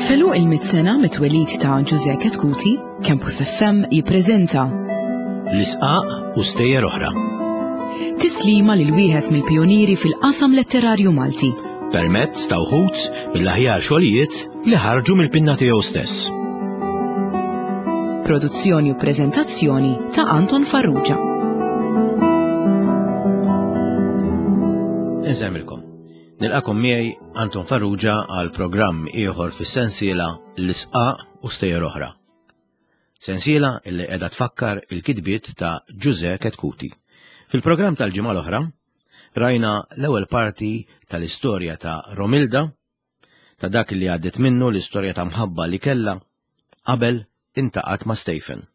F'għeluq il-mitt sena mit-twelid ta' Ġużè Chetcuti, Campus FM jippreżenta L-Isqaq u Stejjer Oħra. Tislima lil wieħed mill-pijunieri fil-qasam letterarju Malti. Permezz ta' wħud mill-aħjar xogħlijiet li ħarġu mill-pinna tiegħu stess. Produzzjoni u preżentazzjoni ta' Anton Farrugia. Insemmilkom. Nilqakom miegħi Anton Farrugia għal programm ieħor fis-sensiela L-Isqaq u Stejjer Oħra. Sensiela illi qiegħda tfakkar il-kitbiet ta' Ġużè Chetcuti. Fil-programm tal-ġimgħa l-oħra rajna l-ewwel parti tal-istorja ta' Romilda, ta' dak li għaddiet minnu l-istorja ta' mħabba li kellha qabel intaqgħet ma' Stephen.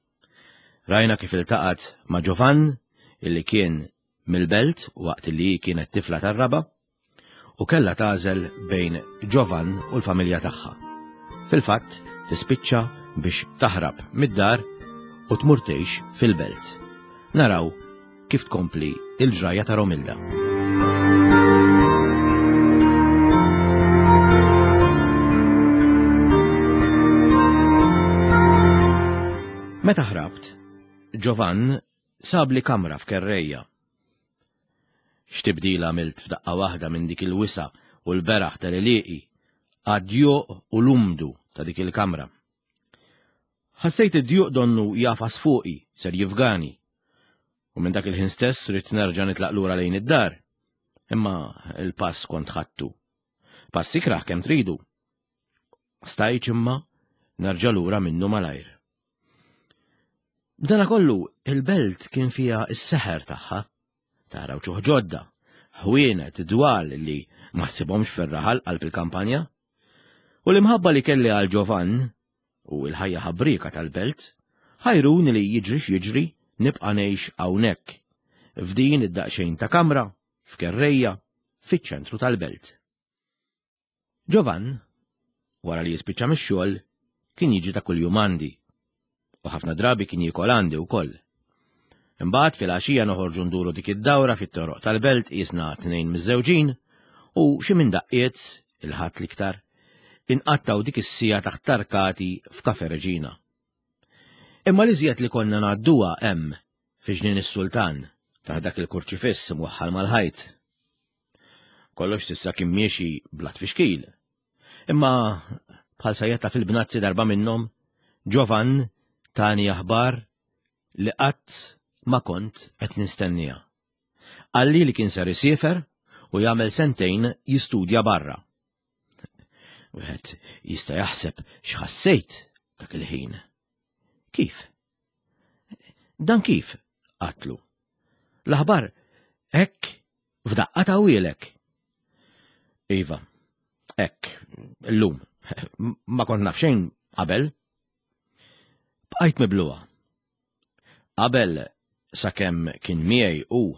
Rajna kif iltaqgħet ma' Giovann illi kien mill-belt waqt li hi kienet tifla tar-raba' u kellha tagħżel bejn Ġovan u l-familja tagħha. Fil-fatt, tispiċċa biex taħrab mid-dar u tmur tgħix fil-belt. Naraw kif tkompli il-ġrajja ta' Romilda. Meta ħrabt, Ġovan Sabli kamra f'kerrejja. X'tibdil għamilt f'daqqa waħda minn dik il-wisa' u l-beraħ tal-għelieqi għad-djuq u l-umdu ta' dik il-kamra. Ħassejt id-djuq donnu jagħfas fuqi, ser jifgani. U minn dak il-ħin stess ridt nerġa' nitlaq lura lejn id-dar. Imma l-pass kont ħadtu. Pass ikrah kemm tridu. Stajtx imma nerġa' lura minnu malajr. B'dana kollu, il-belt kien fiha s-seħer tagħha. Tara wċuħ ġodda, ħwienet, dwal li ma ssibhomx fir-raħal qalb il-kampanja. U l-imħabba li kelli għal Ġovann u l-ħajja ħabrieka tal-belt ħajruni li jiġri x'jiġri nibqa' ngħix hawnhekk, f'din id-daqsxejn ta' kamra, f'kerrejja, fiċ-ċentru tal-belt. Ġovann, wara li jispiċċa mix-xogħol, kien jiġi ta' kuljum għandi. U ħafna drabi kien jiekol għandi wkoll. Imbagħad filgħaxija noħorġu nduru dik id-dawra fit-toroq tal-belt qisna tnejn miżżewġin u xi minn daqqiet, il-Ħadd l-iktar, inqattgħu dik is-siegħa taħt tarkati f'Cafe Regina. Imma l-iżjed li konna ngħadduha hemm, fi Ġnien is-Sultan, taħt dak il-kurċifiss imwaħħal mal-ħajt. Kollox s'issa kien miexi bla tfixkil. Imma bħal sajjetta fil-bnazzi darba minnhom, Ġovan tani aħbar li qatt ma kont qed nistenniha. Qalli li kien ser isiefer u jagħmel sentejn jistudja barra. Wieħed jista' jaħseb x'ħassejt dak il-ħin. Kif? Dan kif? Għatlu. L-aħbar hekk f'daqqa tawwielek. Iva, hekk, illum, ma kont naf xejn qabel. Bqajt mibluha. Qabel sakemm kien miegħi u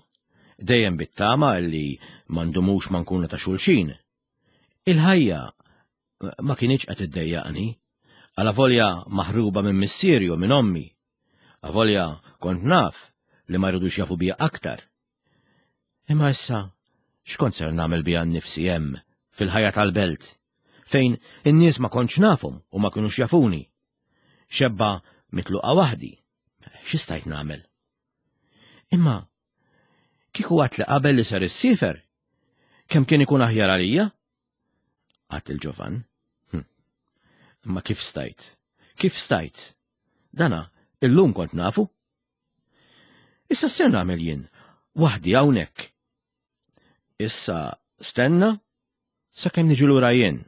dejjem bit-tama li ma ndumux ma nkunu ta' xulxin. Il-ħajja ma kinitx qed iddejjaqni, alavolja maħruba minn missieri u minn ommi, avolja kont naf li ma jridux jafu bija aktar. Imma issa x'kont ser nagħmel bija nnifsi hemm fil-ħajja tal-belt, fejn in-nies ma kontx nafhom u ma kinux jafuni. Xebba mitluqa waħdi, xi stajt nagħmel? Imma kieku għat li qabel li ser issiefer, kemm kien ikun aħjar għalija? Għat il-Ġovan. Hm. Imma kif stajt? Kif stajt? Dana, illum kont nafu. Issa ser nagħmel jien, waħdi hawnhekk. Issa stenna sakemm niġu lura jien.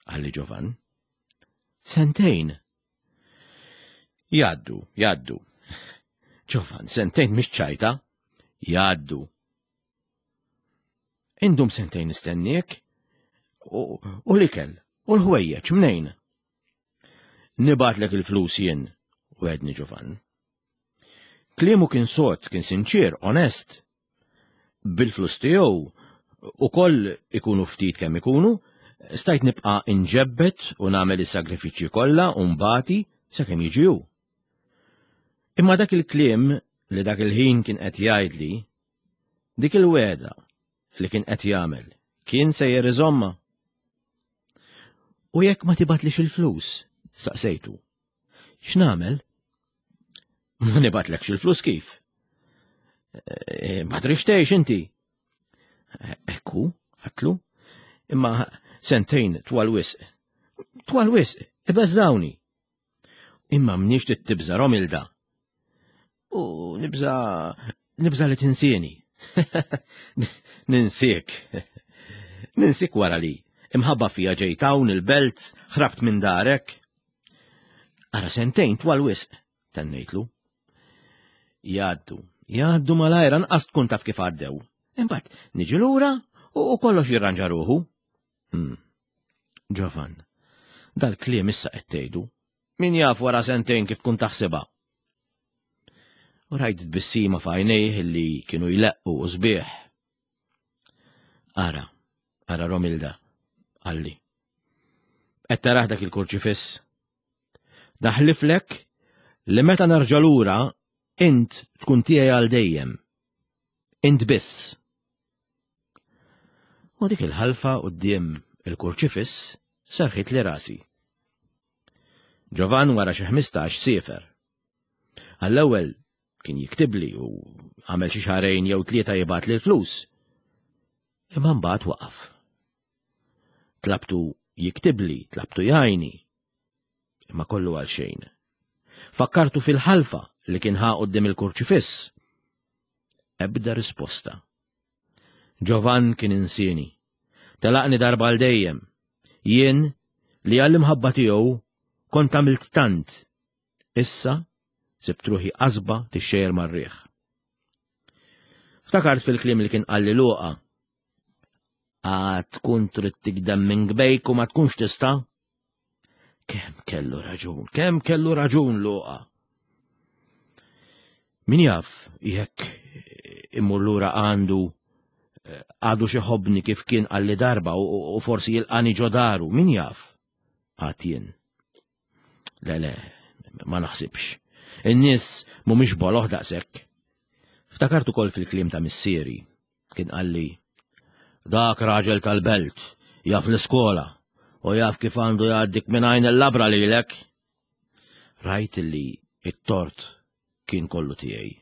Qalli Ġovan. Sentejn. Jaddu, jaddu. Ġovan, sentejn mhix ċajta. Jaddu. Indum sentejn nistenniek u l-ikel u l-ħwejjeġ mnejn. Nibatlek il-flus jien, wegħedni Ġovan. Kliemu kien sod, kien sinċier, onest. Bil-flus tiegħu ukoll ikunu ftit kemm ikunu, stajt nibqa' inġebbed u nagħmel is-sagrifiċċji kollha u nbati sakemm jiġi hu. Imma dak il-kliem li dak il-ħin kien qed jgħidli, dik il-wegħda li kien qed jagħmel, kien sejjer iżommha. U jekk ma tibatlix il-flus? Staqsejtu. X'nagħmel? Ma nibatlekx il-flus kif? E, ma trix tgħix inti. Ekku, għatlu, imma sentejn twal wisq. Twal wisq, ibeżżawni. Imma mniex tibża Romilda. U nibża nibża li tinsieni. Ninsiek. Ninsik wara li imħabba fija ġejt hawn il-belt, ħrabt minn darek. Ara sentejn twal wisq, tennejtlu. Jgħaddu, jgħaddu malajr anqas tkun taf kif għaddew. Imbagħad niġi lura u kollox jirranġa ruħu. Hmm. Ġovan, dal-kliem issa qed tgħidu. Min jaf wara sentejn kif tkun taħsibha? U rajt tbissima f'għajnejh li kienu jleqqu u sbieħ. Ara, ara Romilda, qalli. Qed taraħ dak il-kurċifiss? Daħliflek li meta nerġa' lura int tkun tiegħi għal dejjem. Int biss. U dik il-ħalfa quddiem il-kurċifiss serħit li rasi. Ġovan wara xi 15 siefer. Għall-ewwel kien jiktibli u għamel xi xahrejn jew tlieta jibgħat l-flus. Imma mbagħad waqaf. Tlabtu jiktibli, tlabtu jgħajni. Imma kollu għal xejn. Fakkartu fil-ħalfa li kien ħa quddiem il-kurċifiss. Ebda risposta. Ġovan kien insieni. Telaqni darba għal dejjem. Jien li għall-imħabba tiegħu kont għamilt tant. Issa sibt ruħi qasba tixxejjer mar-riħ. Ftakart fil-kliem li kien qalli Luqa. Għad tkun trid tikdem minn gbejk u ma tkunx tista'? Kemm kellu raġun, kemm kellu raġun Luqa. Min jaf jekk immur lura għandu eh, għadu xi ħobni kif kien qalli darba u forsi jilqani ġodaru, min jaf? Għad jien. Le, le, ma naħsibx. In-nies mhumiex boloh daqshekk. Ftakart ukoll fil-kliem ta' missieri. Kien qalli, dak raġel tal-belt, jaf l-iskola, u jaf kif għandu jgħaddik minn għajn il-labra lilek. Rajt li it-tort kien kollu tiegħi.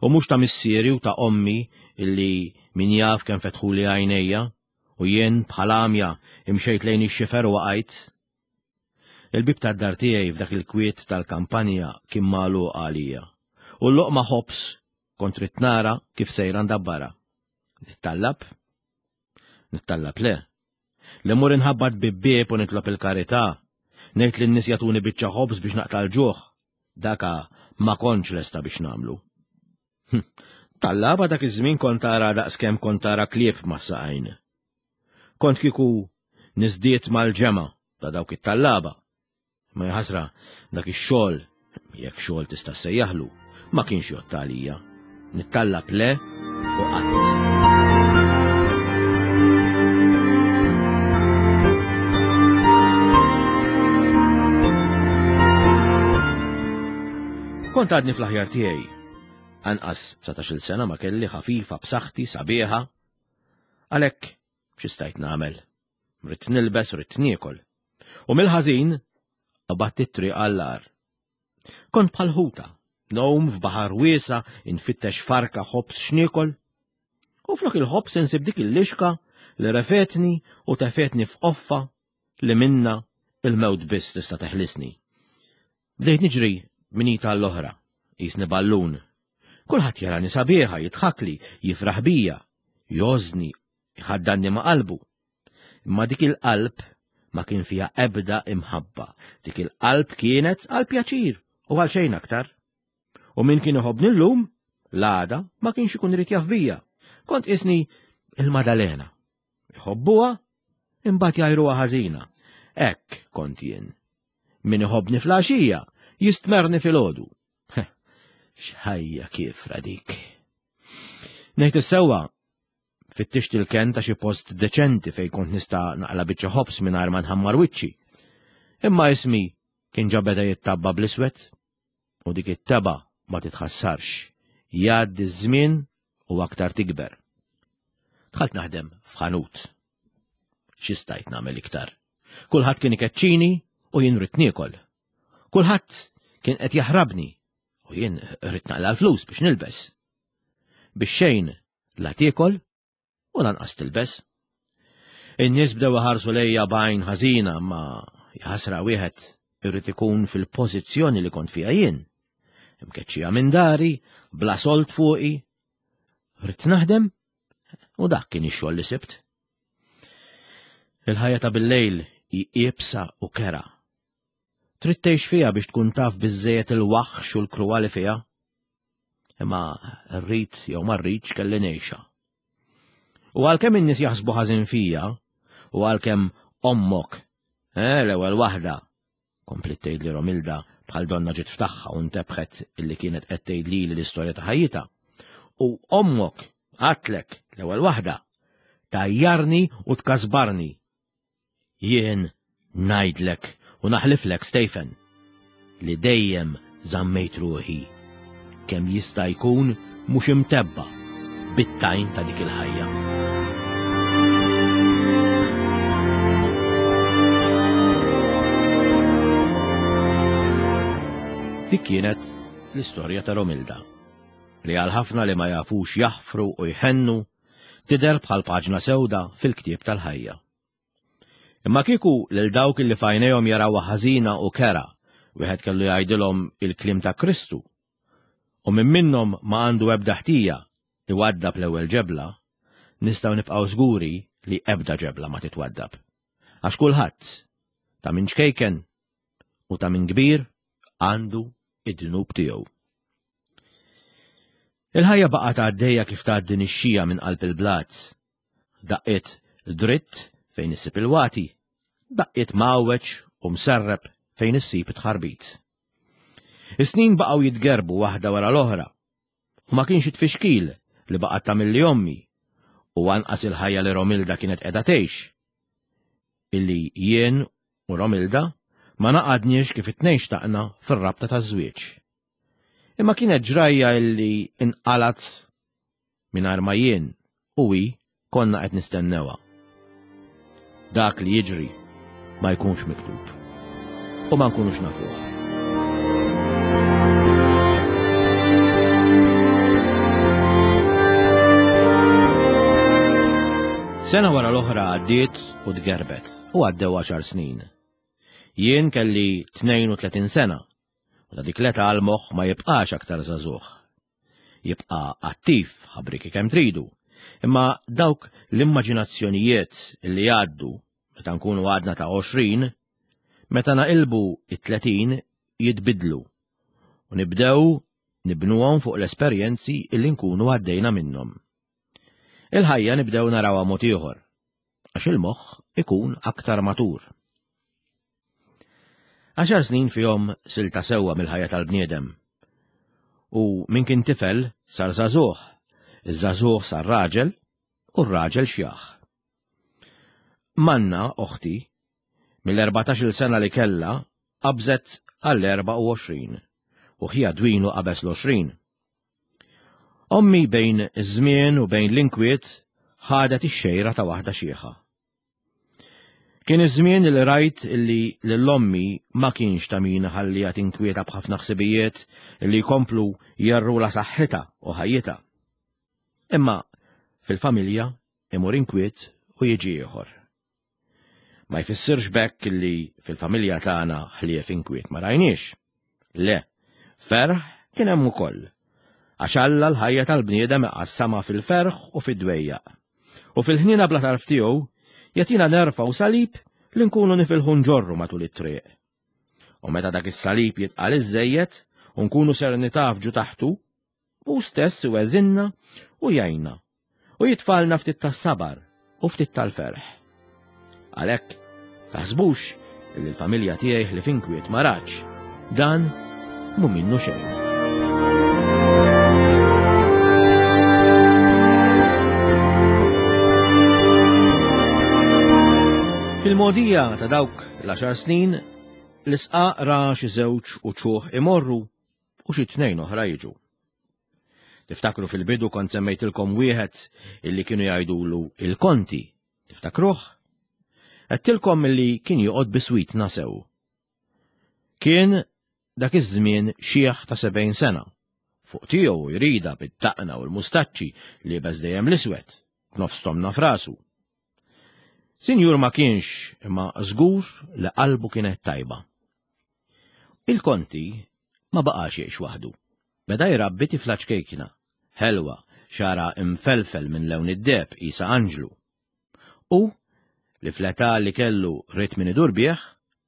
U mhux ta' missieri u ta' ommi illi min jaf kemm fetħuli għajnejja u jien bħal għamja imxejt lejn ix-xifer u waqajt. Il-bieb tad-dar tiegħi f'dak il-kwiet tal-kampanja kien magħluq għalija, u l-loqma ħobż kont ridt nara kif sejra ndabbarha. Nittallab? Nittallab le. Li mmur inħabbat bieb bieb u nitlob il-karità, ngħid lin-nies jagħtuni biċċa ħobż biex naqta' l-ġuħ, daka ma kontx lesta biex nagħmlu. Hm, tallaba dak iż-żmien kont tara daqskemm kont tara klieb mas-saqajn. Kont kieku niżdied mal-ġemgħa ta' dawk it-tallaba. Ma jaħasra dak ix-xogħol, jekk xogħol tista' ssejjaħlu, ma kienx jgħodd għalija. Nittallab le u qatt. Kont għadni fl-aħjar tiegħi. Anqas 19-il sena ma kelli ħafifa b'saħħti sabiħa Għalhekk xi stajt nagħmel? Ridt nilbes, ridt niekol. U mill-ħażin qabadt it-triq għall-agħar. Kont bħal ħuta, ngħum f'baħar wiesa' infittex farka ħobż x'niekol. U flok il-ħobż insib dik il-lixka li refetni u tefetni f'qoffa li minna il-mewt biss tista' teħlisni. Bdejt niġri minn id għall-oħra, qisni ballun. Kulħadd jarani sabiħa, jidħakli, jifraħ bija, jgħożżni, jħaddanni ma' qalbu. Imma dik il-qalb ma kien fiha ebda imħabba. Dik il-qalb kienet għal pjaċir u għal xejn aktar. U min kien iħobbni llum, l-għada ma kienx ikun irid jaf bija. Kont qisni il-Madalena. Iħobbuha, imbagħad jgħajruha ħażina. Hekk kont jien. Min iħobbni fl-għaxija, jistmerni filgħodu. X'ħajja kiefra dik. Ngħid is-sewwa, fittixt il-kenn ta' xi post deċenti fejn kont nista' naqla' biċċa ħobż mingħajr ma nħammar wiċċi. Imma ismi kien ġa beda jittabba bl-iswed u dik it-tebgħa ma titħassarx. Jgħaddi ż-żmien u aktar tikber. Dħalt naħdem f'ħanut. Xi stajt nagħmel iktar? Kulħadd kien ikeċċini u jien ridt niekol. Kulħadd kien qed jaħrabni u jien ridt naqla l-flus biex nilbes. Biex xejn la tiekol u lanqas tilbes. In-nies bdew iħarsu lejja b'għajn ħażina ma jaħasra wieħed irrid ikun fil-pożizzjoni li kont fiha jien. Imkeċċija minn dari, bla solt fuqi. Ridt naħdem u dak kien ix-xogħol li sibt. Il-ħajja ta' bil-lejl hi iebsa u kera. Trid tgħix fiha biex tkun taf biżżejjed il-waħx u l-kruwa li fiha. Imma rrid jew ma rridx kelli ngħixha. U għalkemm in-nies jaħsbu ħażin fija, u għalkemm ommok, eh, l-ewwel waħda, kompliet tgħidli Romilda bħal donna ġiet f'tagħha u ntebħet illi kienet qed tgħid lili l-istorja ta' ħajjitha. U ommok għatlek l-ewwel waħda tajjarni u tkasbarni. Jien ngħidlek u naħliflek Stephen li dejjem żammejt ruħi kemm jista' jkun mhux imtebba' bit-tajn ta' dik il-ħajja. Dik kienet l-istorja ta' Romilda, li għal ħafna li ma jafux jaħfru u jħennu, tidher bħal paġna sewda fil-ktieb tal-ħajja. Imma kieku lil dawk li f'għajnejhom jarawha ħażina u kerha, wieħed kellu jgħidilhom il-kliem ta' Kristu, u min minnhom ma għandu ebda ħtija iwaddab l-ewwel ġebla, nistgħu nibqgħu żguri li ebda ġebla ma titwaddab. Għax kulħadd, ta' min ċkejken u ta' min kbir, għandu id-dnub tiegħu. Il-ħajja baqgħet għaddejja kif tgħaddi nixxija minn qalb il-blat. Daqqiet dritt fejn issib il-wati, daqqiet mgħawweġ u mserrep fejn issib it-tħarbit. Is-snin baqgħu jitgerbu waħda wara l-oħra, u ma kienx it-tfixkil li baqgħet tagħmilli ommi, u anqas il-ħajja li Romilda kienet qiegħda tgħix, illi jien u Romilda ma naqadniex kif it-tnejn xtaqna fir-rabta taż-żwieġ. Imma kienet ġrajja illi inqalgħet mingħajr ma jien u hi konna qed nistennewha. Dak li jiġri ma jkunx miktub u ma nkunux nafuh. Sena wara l-oħra għaddiet u tgerbet u għaddew għaxar snin. Jien kelli 32 sena u ta' dik l-età l-moħħ ma jibqax aktar żagħżugħ. Jibqa' attiv ħabriki kemm tridu, imma dawk l-immaġinazzjonijiet li jgħaddu meta nkunu għadna ta' 20, meta naqilbu it-30 jitbidlu u nibdew nibnuhom fuq l-esperjenzi li nkunu għaddejna minnhom. Il-ħajja nibdew narawha mod ieħor, għax il-moħħ ikun aktar matur. Għaxar snin fihom silta sewwa mill-ħajja tal-bniedem. U min kien tifel sar żagħżugħ, iż-żagħżugħ sar raġel u r-raġel xjaħ. Manna, oħti, mill-14-il sena li kellha qabżet għall-24 u ħija dwinu qabeż l-20. Ommi bejn iż-żmien u bejn l-inkwiet ħadet ix-xejra ta' waħda xiħa. Kien iż-żmien li rajt li lil ommi ma kienx ta' min iħalliha tinkwieta b'ħafna ħsibijiet li jkomplu jerrula saħħitha u ħajjitha. Imma fil-familja imur inkwiet u jiġi ieħor. Ma jfissirx b'hekk li fil-familja tagħna ħlief inkwiet ma rajniex. Le, ferħ kien hemm ukoll. Għax Alla l-ħajja tal-bniedem iqassamha fil-ferħ u fid-dwejjaq. U fil-ħniena bla tarf tiegħu jagħtina nerfgħu salib li nkunu nifilħu nġorru matul it-triq. U meta dak is-salib jitqal iżżejjed u nkunu ser nitafġu taħtu, hu stess iweżinna u jgħinna u jitfalna ftit tas-sabar u ftit tal-ferħ. Għalhekk, taħsbux li l-familja tiegħi ħlief inkwiet ma ratx. Dan mhu minnu xejn. Fil-mogħdija ta' dawk l-għaxar snin, l-isqaq ra xi żewġ uċuħ imorru u xi tnejn oħra jiġu. Tiftakru fil-bidu kont semmejtilkom wieħed illi kienu jgħidulu il-konti. Tiftakruh? Għedtilkom li kien joqgħod biswitna sew. Kien dak iż-żmien xiħ ta' 70 sena. Fuq tiegħu jrida bid-daqna u l-mustaċċi liebes dejjem l-iswed, b'nofs tomna f'rasu. Sinjur ma kienx imma żgur li qalbu kienet tajba. Il-Konti ma baqax jgħix waħdu. Beda jrabbi tifla ċkejkna, ħelwa, xagħarha imfelfel minn lewn id-deheb qisha anġlu. U, li fl-età li kellu ried min idur bih,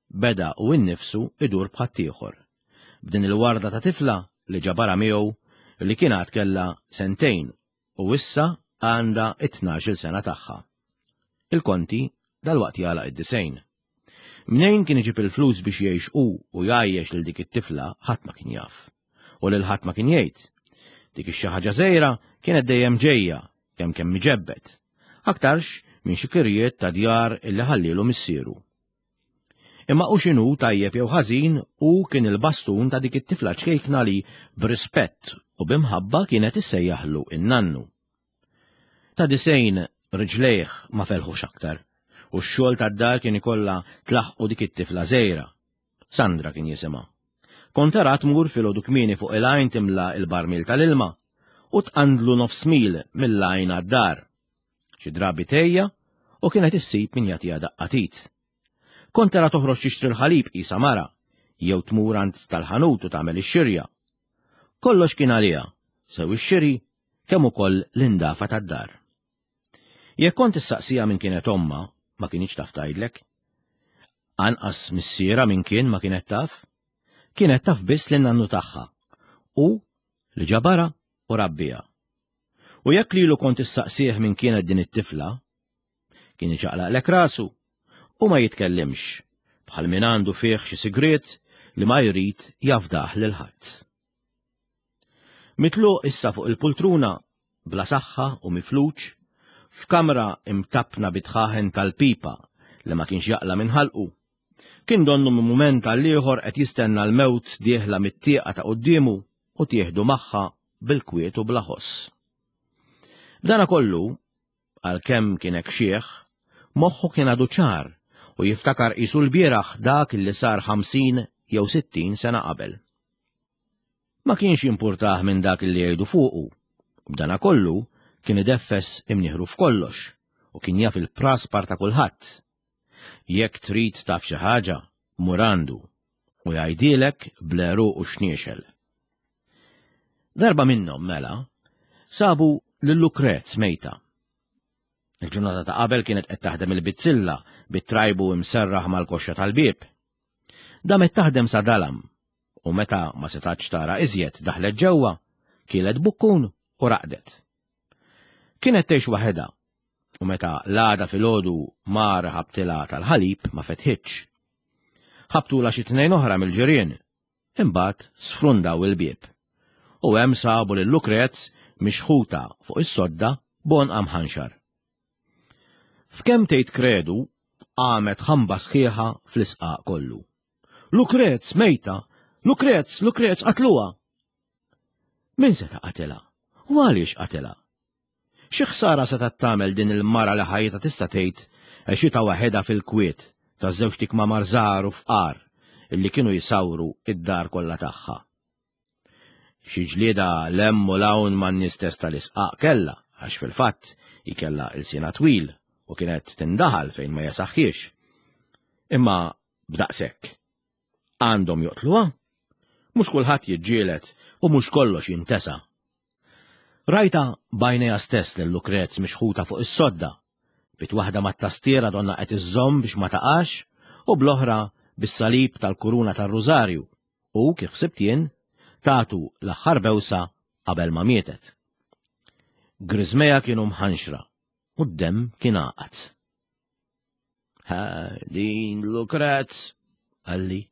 beda hu nnifsu idur b'ħaddieħor, b'din il-warda ta' tifla li ġabarha miegħu li kien għad kellha sentejn u issa għandha t-tnax-il sena tagħha. Il-Konti dalwaqt jagħlaq id-disgħin. Mnejn kien iġib il-flus biex jgħix hu u jgħajjex lil dik it-tifla ħadd ma kien jaf. U lil ħadd ma kien jgħid. Dik ix-xi ħaġa żgħira kienet dejjem ġejja, kemm kemm miġebbed. Aktarx minn xi kirjiet ta' djar illi ħallielu missieru. Imma hu x'inhu tajjeb jew ħażin hu kien il-bastun ta' dik it-tifla ċkejkna li b'rispett u b'imħabba kienet issejjaħlu in-nannu. Ta' 90 riġlejh ma felħux aktar u x-xogħol tad-dar kien ikollha tlaħħqu dik it-tifla żgħira. Sandra kien jisimha. Kont tara tmur filgħodu kmieni fuq il-għajn timla l-barmil tal-ilma u tqandlu nofs mil mill-għajn għad-dar. Xi drabi tgħejja u kienet issib min jagħtiha daqqa t'id. Kont tara toħroġ tixtri l-ħalib qisha mara, jew tmur għand tal-ħanut u tagħmel ix-xirja. Kollox kien għaliha, sew ix-xiri kemm ukoll l-indafa tad-dar. Jekk kont issaqsiha min kienet ommha, ma kinitx taf tgħidlek. Anqas missierha min kien ma kienet taf. Kienet taf biss lin-nannu tagħha u li ġabarha u rabbiha. U jekk lilu kont issaqsih min kienet din it-tifla, kien iċaqlaqlek rasu u ma jitkellimx, bħal min għandu fih xi sigriet li ma jrid jafdah lil ħadd. Mitluq issa fuq il-pultruna, bla saħħa u mifluġ, f'kamra imtappna bi dħaħen tal-pipa li ma kienx jaqla' minn ħalqu. Kien donnu minn mument għal ieħor qed jistenna l-mewt dieħla mit-tieqa ta' quddiemu u tieħdu magħha bil-kwiet u bla ħoss. B'dana kollu, għalkemm kien hekk xiħ, moħħu kien għadu ċar u jiftakar qisu lbieraħ dak li sar 50 jew 60 sena qabel. Ma kienx jimpurtah minn dak li jgħidu fuqu, u b'dana kollu kien ideffes imnieħru f'kollox u kien jaf il-praspar ta' kulħadd. Jekk trid taf xi ħaġa, mur għandu u jgħidhielek bl-għeruq u x-xniexel. Darba minnhom, mela, sabu lil Lukrez mejta. Il-ġurnata ta' qabel kienet qed taħdem il-bizzilla bit-trajbu imserraħ mal-koxxa tal-bieb. Damet taħdem sa dalam u meta ma setatx tara iżjed daħlet ġewwa, kielet bukkun u raqdet. Kienet tgħix waħedha u meta l-għada filgħodu mar ħabtilha tal-ħalib ma fetħitx. Ħabtulha xi tnejn oħra mill-ġirien Imbagħad sfrundaw il-bieb, u hemm sabu lil Lukrez mixħuta fuq is-sodda b'għonqha mħanxar. F'kemm tgħid kredu, qamet ħamba sħiħa fl-isqaq kollu. Lukrez mejta! Lukrez, Lukrez qatluha! Min seta' qatilha? U għaliex qatilha? Xi ħsara setgħet tagħmel din il-mara li ħajjitha tista' tgħid għexitha waħedha fil-kwiet ta' żewġt ikmamar żgħar u fqar illi kienu jsawru d-dar kollha tagħha? Xi ġlieda 'l hemm u 'l hawn man-nies stess tal-isqaq kellha għax fil-fatt hi kellha ilsienha twil u kienet tindaħal fejn ma jesaħħiex. Imma b'daqshekk. Għandhom joqtluha? Mhux kulħadd jiġġieled u mhux kollox jintesa. Rajtha b'għajnejha stess lil Lukrez mixħuta fuq is-sodda, b'id waħda mat-tastiera donnha qed iżżomm biex ma taqax u bl-oħra bis-salib tal-kuruna tar-rużarju u, kif ħsibt jien, tatu l-aħħar bewsa qabel ma mietet. Griżmejha kienu mħanxra u d-demm kien għaqad. Ha, din Lukrez, qalli,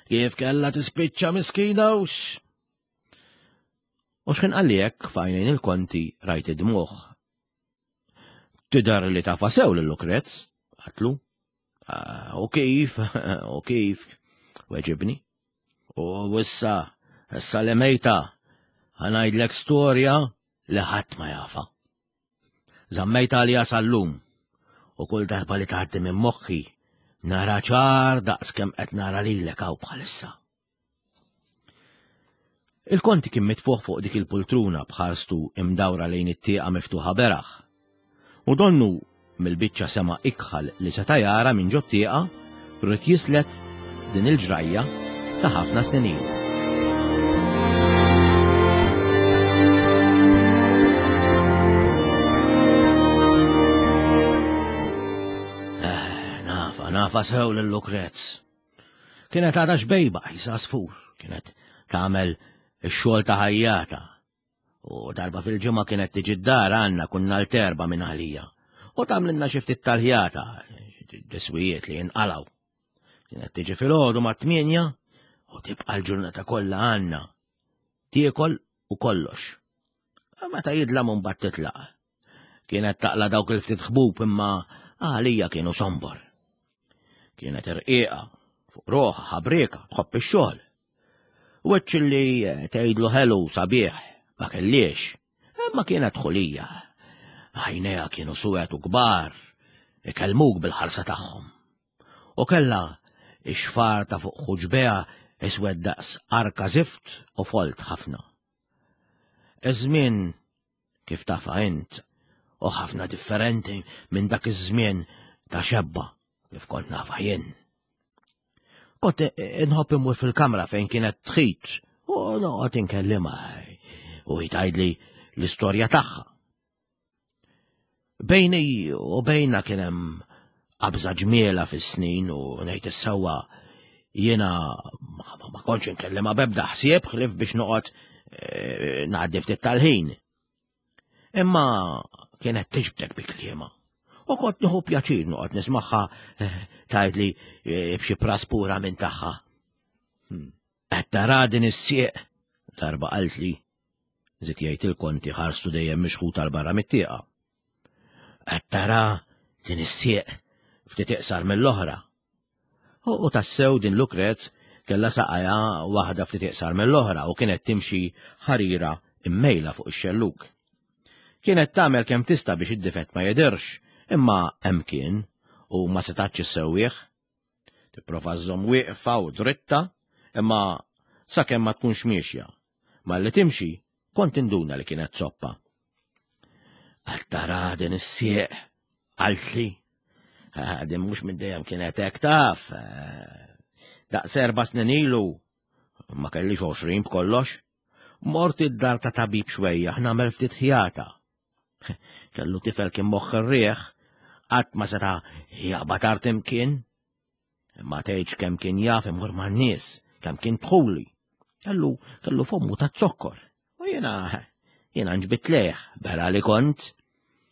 kif kellha tispiċċa miskina hux? U x'ħin qalli hekk f'għajnejn il-konti rajt id-dmugħ. Tidher li tafa sew lil Lukrez, għatlu. Ah, u kif, u kif, weġibni. U issa, issa li mejta, ħanajdlek storja li ħadd ma jafa. Żammejt għalija sal-lum. U kull darba li tgħaddi minn moħħi, nara ċar daqs kemm qed nara lilek hawn bħalissa. Il-konti kien mitfuħ fuq dik il-pultruna b'ħarstu imdawra lejn it-tieqa miftuħa beraħ. U donnu mill-biċċa sema ikħal li seta' jara minn ġot-tieqa rrid jislet din il-ġrajja ta' ħafna snin ilu. Eh, nafa, nafa sew lil Lukrez. Kienet għadha xbejba qisha għasfur, kienet tagħmel ix-xogħol ta' ħajjata. U darba fil-ġimgħa kienet tiġi d-dar għandna kunna l-terba minn għalija. U tagħmlilna xi ftit tal-ħjata, diswijiet li jinqalgħu. Kienet tiġi filgħodu mat-tmienja u tibqa' l-ġurnata kollha għandna. Tiekol u kollox. Meta jidlam mbagħad titlaq. Kienet taqla dawk il-ftit ħbub imma għalija kienu sombor. Kienet irqiqa, fuq roħa, ħabrieka, tħobb ix-xogħol. Wiċċ li tgħidlu ħelu sabiħ ma kellix, imma kienet ħulija. Għajnejha kienu suwed u kbar, ikellmuk bil-ħarsa tagħhom. U kellha ix-xfar ta' fuq ħuġbeha iswed daqs arka zift u folt ħafna. Iż-żmien kif tafha int, u ħafna differenti minn dak iż-żmien ta' xebba kif kont nafha jien. Kont inħobb imur fil-kamra fejn kienet tħit u noqgħod inkellimha u hi tgħidli l-istorja tagħha. Bejni u bejna kien hemm qabża ġmiela fis-snin u ngħid is-sewwa jiena ma kontx inkellimha b'ebda ħsieb ħlief biex noqgħod eh, ngħaddi ftit tal-ħin. Imma kienet tiġbdek bi kliema. U kont nieħu pjaċir noqgħod nismagħha eh, tgħidli eh, b'xi praspura minn tagħha. Hmm. Qed tara din is-sieq darba qaltli Żied jgħid il-konti ħarstu dejjem mixħuta 'l barra mit-tieqa. Qed tara din is-sieq ftit iqsar mill-oħra. U tassew din Lukrez kellha saqajha waħda ftit iqsar mill-oħra u kienet timxi ħarira immejla fuq ix-xellug. Kienet tagħmel kemm tista' biex id-difett ma jidhirx, imma hemm kien u ma setgħetx issewwih. Tipprova żżomm wieqfa u dritta, imma sakemm ma tkunx miexja. Malli timxi, kont induna li kienet zoppa. Għal tara din is-sieq, qaltli. Din mhux minn dejjem kienet hekk taf. Daqs erba' snin ilu, ma kellix 20 b'kollox. Mort id-dar ta' tabib xwejjaħ nagħmel ftit ħjata. Kellu tifel kien moħħ ir-riħ, qatt ma seta' jaqbad art imkien. Imma tgħidx kemm kien jaf imur man-nies, kemm kien dħuli. Kellu kellu fommu ta' zokkor. U jiena jiena nġbit lejh, bera li kont.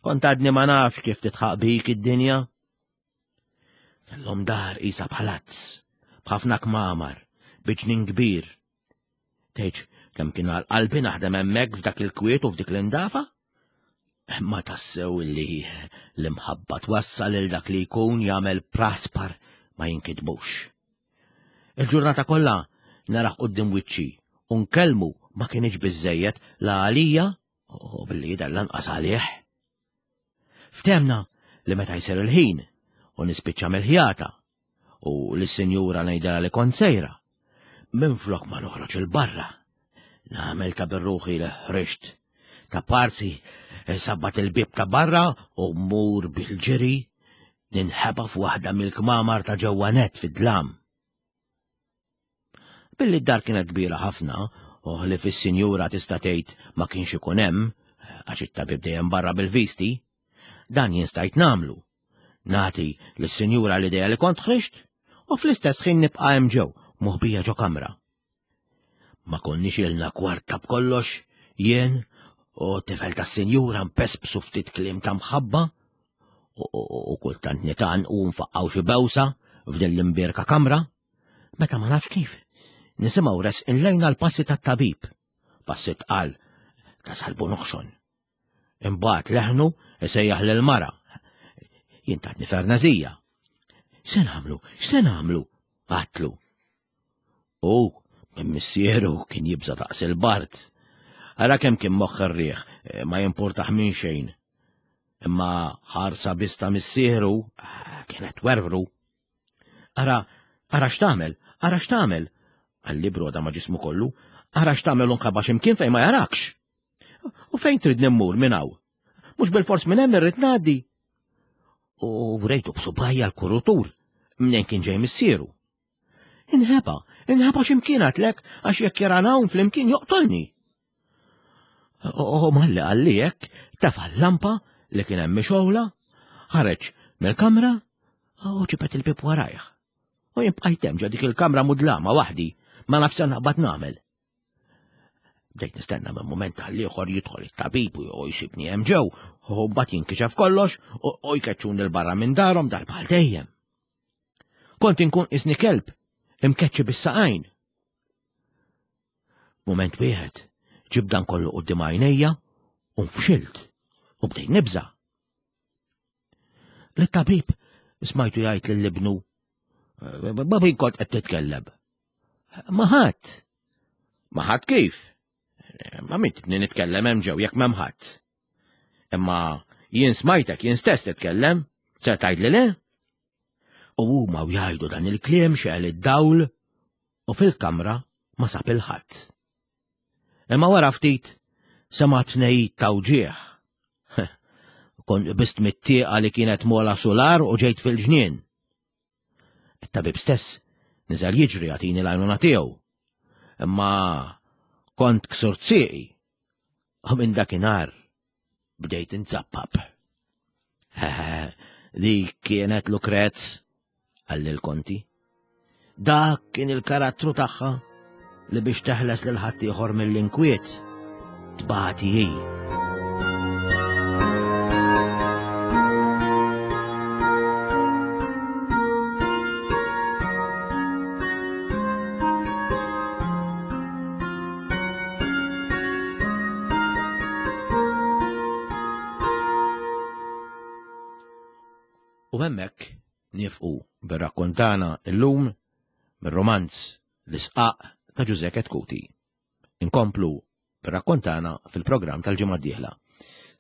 Kont għadni ma nafx kif titħaq bik id-dinja. Kellhom dar isa palazz, b'ħafna kmamar, bi ġnien kbir, Tgħidx kemm kien għal qalbi naħdem hemmhekk f'dak il-kwiet u f'dik l-indafa? Ma tassew li l-imħabba twassal il dak li jkun jagħmel praspar ma jinkitbux. Il-ġurnata kollha naraħ quddiem wiċċi u nkellmu ma kienx biżejjed la għalija u billi jidher lanqas għalih. Ftemna li meta jsir il-ħin u nispiċċa mill-ħjata u lis-sinjura ngħidilha li kont sejra. Minflok ma noħroġ il-barra, nagħmel ta' birruħi li ħriġt. Ta' parsi sabbat il-bieb ta' barra u mmur bil-ġiri ninħeba f'waħda mill-kmamar ta' ġewwa net fid-dlam. Billi d-dar kienet kbira ħafna, u ħlief is-sinjura tista' tgħid ma kienx ikun hemm, għax it-tabib dejjem barra bil-visti, dan jien stajt nagħmlu. Nagħti lis-sinjura l-idea li kont ħriġt, u fl-istess ħin nibqa' hemm ġew, moħbija ġo kamra. Ma konniex ilna kwarta b'kollox, jien u t-tifel tas-sinjura npespsu ftit kliem ta' mħabba u kultant nitan u nfaqqaw xi bewsa f'din l-imbierka kamra, meta ma nafx kif. Nisimgħu resqin lejna l-passi tat-tabib, passi tqal ta' salbu noħxon. Imbagħad leħnu isejjaħ lil mara. Jien tatni fernazija. Se nagħmlu? X'se nagħmlu? Għatlu. U minn missieru kien jibża daqs il-bart. Ara kemm kien moħħ ir-riħ, eh, ma jimpurtaħ minn xejn. Imma ħarsa biss ta' missieru ah, kienet werwru. Ara, ara x'tagħmel, ara x'tagħmel, qalli broda ma' ġismu kollu, ara x'tagħmel u nħaba x'imkien fejn ma jarakx. U fejn tridni mmur minn hawn? Mhux bil-fors minn hemm irrid ngħaddi. U rejtu b'subajja l-kurutur mnejn kien ġej missieru. Inħeba, inħeba x'imkien għatlek għax jekk jarana hawn flimkien joqtolni. U malli qalli hekk, tefa' l-lampa li kien hemm mixgħula, ħareġ mill-kamra u ġibed il-bieb warajh. U jien bqajt hemm ġo dik il-kamra mudlama waħdi, ma nafx se naqbad nagħmel. Bdejt nistenna minn mument għal ieħor jidħol it-tabib u jsibni hemm ġew, u mbagħad jinkixef kollox u jkeċċuni 'l barra minn darhom darba għal dejjem. Kont inkun isni kelb imkeċċi bis-saqajn. Mument wieħed ġib dan kollu quddiem għajnejja u nfxilt u bdejt nibża'. Lit-tabib smajtu jgħid lil ibnu, Babi kont qed titkellem. Ma ħadd. Ma ħadd kif? Ma min tibni nitkellem hemm ġew jekk m'hemm ħadd. Imma jien smajtek jien stess titkellem, ser tgħidli le? U huma u jgħidu dan il-kliem xegħel id-dawl u fil-kamra ma sab il-ħadd. Imma wara ftit sema' tnejjid ta' wġigħ. Kont qbist mit-tieqa li kienet mola sular u ġejt fil-ġnien. It-tabib stess niżel jiġri jagħtini l-għajnuna tiegħu. Imma kont ksurt sieqi u minn dakinhar bdejt inzappap. Dik kienet Lukrez, qalli l-konti. Dak kien il-karattru tagħha li biex teħles lil ħaddieħor mill-inkwiet tbati hi. U hemmhekk nifqu bir-rakkont tagħna illum mir-romanz L-Isqaq ta' Ġużè Chetcuti. Inkomplu bir-rakkont tagħna fil-programm tal-ġimgħa d-dieħla.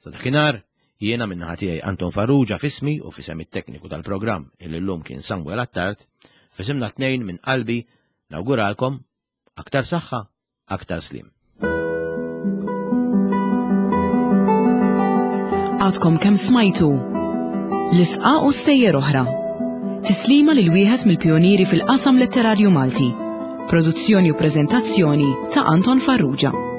Sa dakinhar, jiena min-naħa tiegħi Anton Farrugia f'ismi u f'isem it-tekniku tal-programm illi llum kien Samuel Attard, f'isimna tnejn minn qalbi nawguralkom aktar saħħa aktar sliem. Għadkom kemm smajtu L-isqa u stejjer oħra. Tislima lil wieħed mill-pjonieri fil-qasam letterarju Malti. Produzzjoni u preżentazzjoni ta' Anton Farrugia.